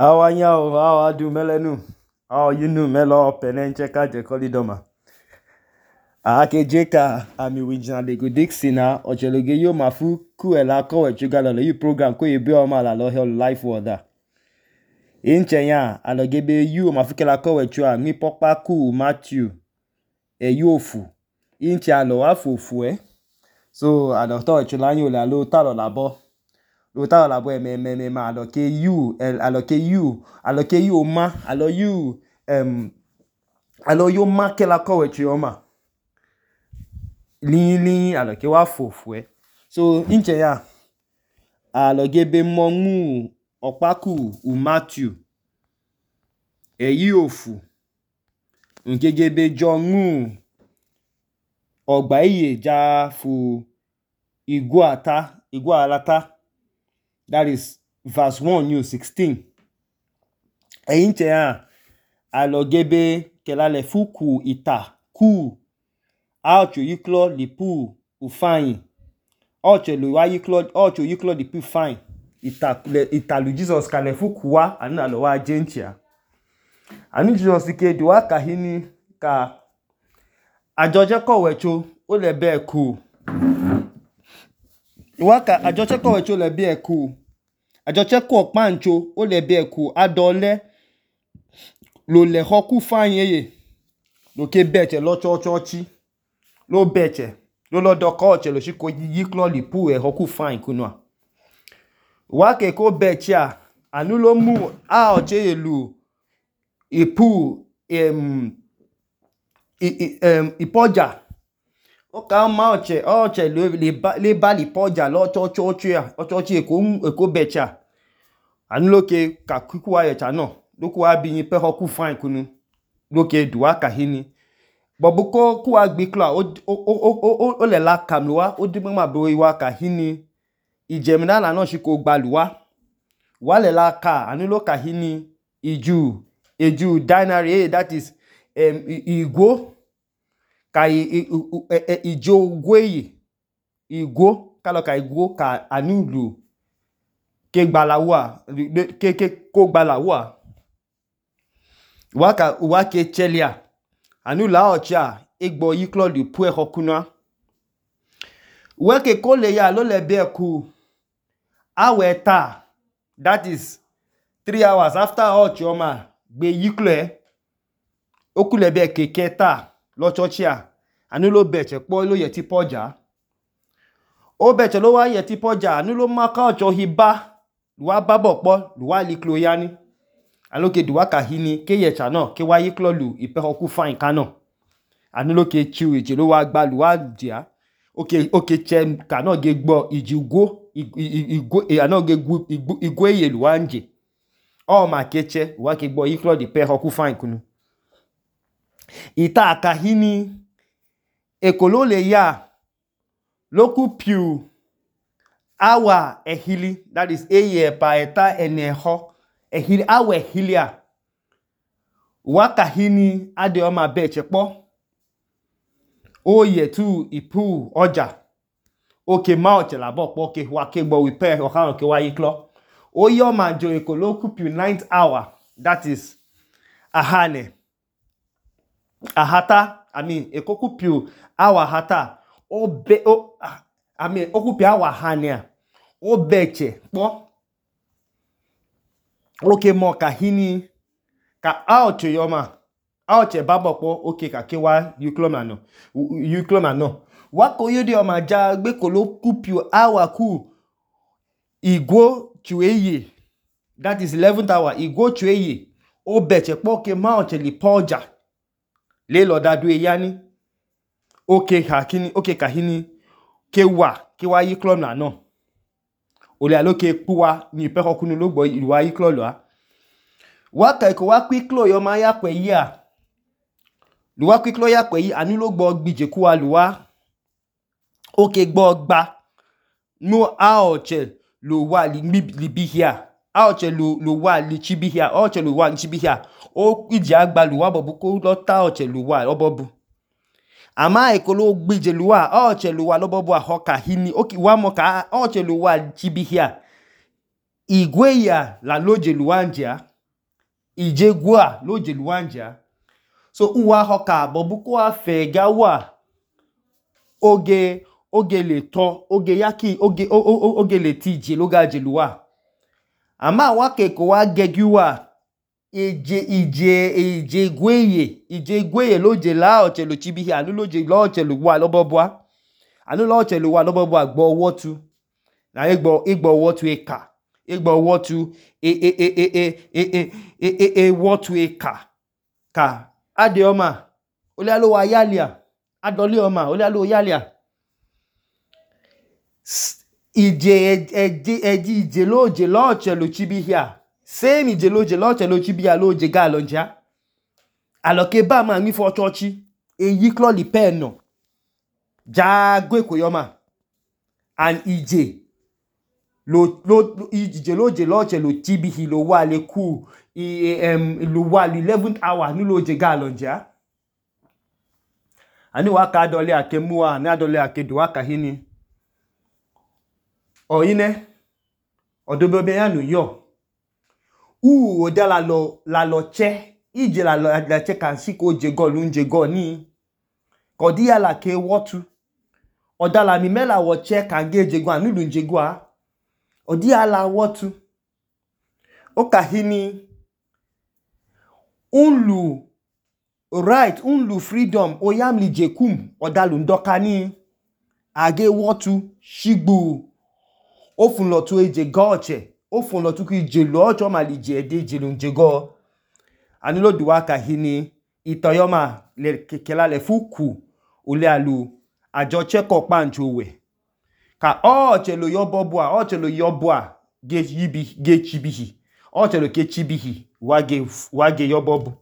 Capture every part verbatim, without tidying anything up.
How are you? How are you, Melenu? How are you, Melo? Penencheka, Jekolidoma. Ake Jeka, Ami Wijana de Godixina, or Chelogeyo Mafu, Kuela, Kowe, Chugalo, you program, Koye Bioma, La Lohel Life Water. In Chenya, Alogebe, you, Mafukela Kowe, Chua, Mi Popa Ku, Matthew, a Yofu. In Chalo, Afu, Fue. So, I don't thought Chulanyo, La Lotalo Labo. Lota la boy me me me ma aloke you el aloke you aloke you ma alo you um alo you ma ke la ko wechi oma lin lin aloke wa fofue so inche ya aloge be mongu opaku u Matthew e yofu nkege be jongu ogba iye ja fu iguata igualata. That is verse one, New sixteen. Einche ya alogebe kelale fuku ita ku aucho yiklo lipu ufain aucho luwa yiklo aucho yiklo lipu fine ita ita lu Jesus kale fuku wa anu alo wa jenchia anu Jesus ke duwa kahini ka ajoje ko wecho o le be ku waka ajoche ko wecho le be ku ajoche ko pancho o le be ku adole lo le hoku fanyeye lo ke beche lo chochochi lo beche lo lo dokoche lo shiko yiklo lipu e hoku fine kunwa wake ko beche a anu lo mu a oche elu ipu em em ipoja o ka ma oche oche le le ba li poja lo chochochi a chochochi e ko e ko beche a anu loke ka kuku wa yecha no loku wa bi pe hoku fine kunu loke duwa kahini bobuko ku wa gbi kla o o o le la kamluwa o di ma bo wa kahini ijemina la no shiko gbaluwa wa le la ka anu lo kahini iju eju dinary that is um igwo ka ijo gweye igwo kalo ka igwo ka anulu ke gbalawa ke ke ko gbalawa waka wake chelia anu la ocha egbo yiklo di pu e hokuna weke ko le ya lo le be ku aweta that is three hours after ochoma gbe yiklo e okule be keketa lo chochia anu lo beche po lo yeti poja o beche lo wa yeti poja anu lo maka ocho hiba wa babo po wa liklo yani aloke duwa kahini ke yecha no ke wa yiklo lu ipe hoku fine kano anu lo ke chiu eje lo wa gba lu wa dia oke oke chem kano ge gbo ijugo igwo e ano ge gu igwo eye lu wa nje o ma keche wa ke gbo yiklo di pe hoku fine kunu ita kahini ekolo le ya loku piu awa ehili that is eye pa eta eneho ehili awa ehilia waka hini ade o ma beche po oye tu ipu oja oke ma oche la bo po ke wa ke gbo wi pe o kan ke wa yiklo oye o ma jo ekolo ku piu ninth hour that is ahane ahata I mean ekoku piu hour hata o be o I mean okupi hour hania o beche po oke mo kahini ka auche yoma auche babo po oke ka ke wa yukloma no yukloma no wa ko yede o ma ja gbe ko lo kupiu hour ku igwo chueye that is eleventh hour igwo chueye o beche po ke ma auche li poja le lo dadu e yani oke hakini oke kahini ke wa ke wa yukloma no ole aloke puwa ni pe hokunu lo gbo iwa yiklo lo a wa ka ko wa kwiklo yo ma ya pe yi a lu wa kwiklo ya pe yi anu lo gbo gbije ku wa lu wa oke gbo gba no aoche lo wa li bi hia aoche lo lo wa li chibi hia aoche lo wa li chibi hia o ije agba lu wa bobu ko lo ta aoche lo wa obobu ama ekolo gbije lu wa aoche lo wa lobobu ahoka hini oki wa mo ka aoche lo wa chibi hia igwe ya la loje lu wa nje a ije gwa lo je luanja. So uwa hoka bobu ko afe gawa oge oge le to oge yaki oge oge le tije lo ga je luwa. Ama wa ke ko wa gegiwa ije ije ije gweye ije gweye lo je la oche lo chibi anu lo je lo oche lo wa lobobwa anu lo oche lo wa lobobwa gbo wotu na egbo egbo wotu eka egbo wotu e e e e e e e e e wotu eka ka ade oma ole alo wa yalia adoli oma ole alo yalia ije eji eji ije lo je lo oche lo chibi hia same ije lo je lo oche lo chibi hia lo je ga lonja aloke ba ma mi fo chochi eyi klo li pe no ja gwe ko yoma and ije lo lo ije lo je lo oche lo chibi hi lo wa le ku i em lo wa eleventh hour ni lo je ga lonja ani wa ka dole akemua na dole akedu aka hini oyine odobe be yanu yo u oda la lo la lo che ije la lo la che kan si ko je go lu nje go ni ko di ala ke wotu oda la mi mela wo che kan ge je go anu lu nje go a odi ala wotu o ka hini unlu right unlu freedom oyamli jekum oda lu ndoka ni age wotu shigbu o fun lo tu eje goche o fun lo tu ki je lo ojo ma li je de je lu nje go ani lo duwa ka hini itoyoma le kekela le fuku ole alu ajo cheko pancho we ka o chelo yobobwa o chelo yobwa ge yibi ge chibihi o chelo ke chibihi wage wage yobobu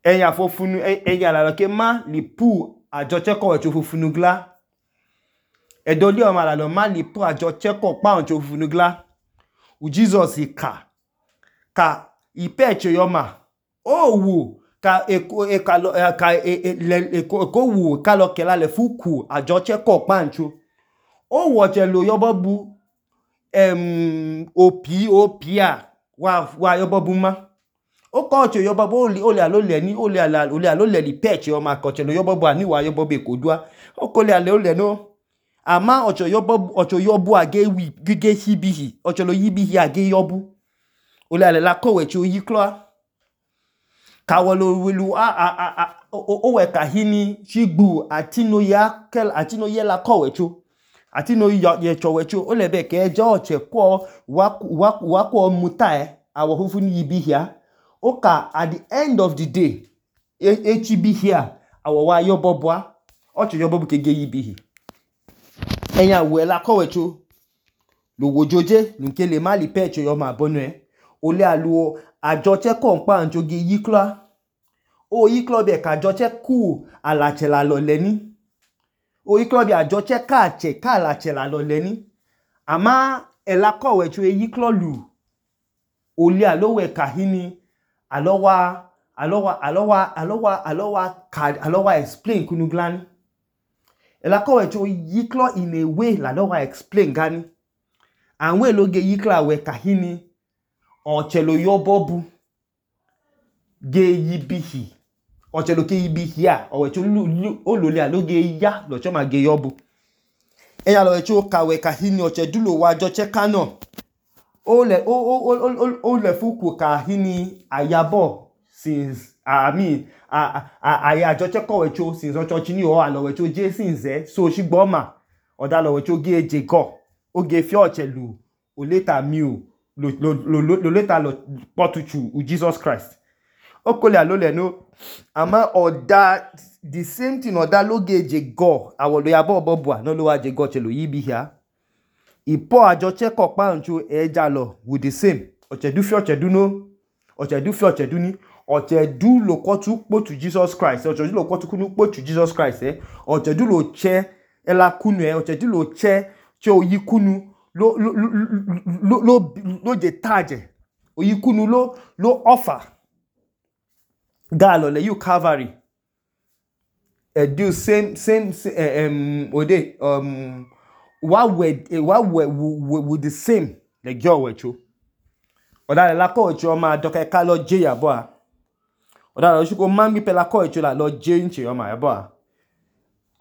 eya fofunu eya la ke ma li pu ajo cheko we cho fofunu gla edoli o ma la lo ma li pu ajo cheko pancho fofunu gla u Jesus ka ka ipeche yoma o wu ka eko e ka lo ka e ko wu ka lo kela le fuku ajo cheko pancho o wo je lo yobobu em opi opia wa wa yobobu ma o ko che yobobu oli oli alo le ni oli ala oli alo le li peche o ma ko che lo yobobu ani wa yobobu ekodua o ko le ale o le no ama ocho yobobu ocho yobu age wi gige hibihi ocho lo yibihi age yobu ole ale la kowe chi oyi klo ka wolo welu a a a o we ka hini chigbu atino ya kel atino ye la kowe cho atino ye chowe cho ole be ke je oche ko wa wa wa ko muta e awo fufu ni yibi hia o ka at the end of the day e chibi hia awo wa yobobwa ocho yobobu ke ge yibi hi enya we la kowe cho lo wojoje nke le mali pecho yo ma bonu e ole aluo ajoche kompa njogi yikla o yikla be ka ajoche ku alache la lo leni o yikla be ajoche ka che ka alache la lo leni ama ela kowe cho yikla lu ole alowe ka hini alowa alowa alowa alowa alowa ka alowa explain kunu glani ela kowe cho yikla in a way la alowa explain gani anwe loge yikla we ka hini ochelo yobobu ge yibihi ochelo ke yibihi a owecho olole aloge ya lo cho ma ge yobu eya lo wecho kawe ka hini ochedulo wa joche kano ole o o o le fuku ka hini ayabo since I mean a a aya joche ko wecho since ocho chini o alo wecho je since so shigbo ma oda lo wecho ge eje go oge fi ochelu o later miu lo lo lo later lo potuchu u Jesus Christ okole alole no ama oda the same thing oda lo ge eje go awolo ya bo bobua no lo wa je go chelo yibi hia ipo ajo cheko pa nchu eja lo with the same ochedu fi ochedu no ochedu fi ochedu ni ochedu lo kotu potu Jesus Christ ochedu lo kotu kunu potu Jesus Christ eh ochedu lo che ela kunu eh ochedu lo che che oyikunu lo lo lo lo lo je taje oyikunu lo lo offer galo le you Calvary e do same same um ode um what we what we with the same the girl wecho ọ̀dàlẹ̀ lakọ̀ ìtì ọmọ àdọ́kẹ́ ká lọ jẹ́ yàbọ̀ à ọ̀dàlẹ̀ oṣù kò máa ń gbípẹ́ lakọ̀ ìtì lọ jẹ́ ìtì ọmọ àyàbọ̀ à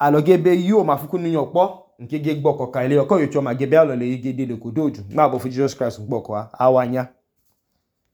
àlọ́gẹ́bẹ̀ yóò máa fúnkún ní ọ̀pọ̀ nkégé gbọ́kọ̀ ká ilé ọkọ̀ ìtì ọmọ àgẹ́bẹ̀ àlọ́lẹ̀ yìí gédé lè kó dòdù má bọ̀ fún Jesus Christ gbọ́kọ̀ àwa nyá.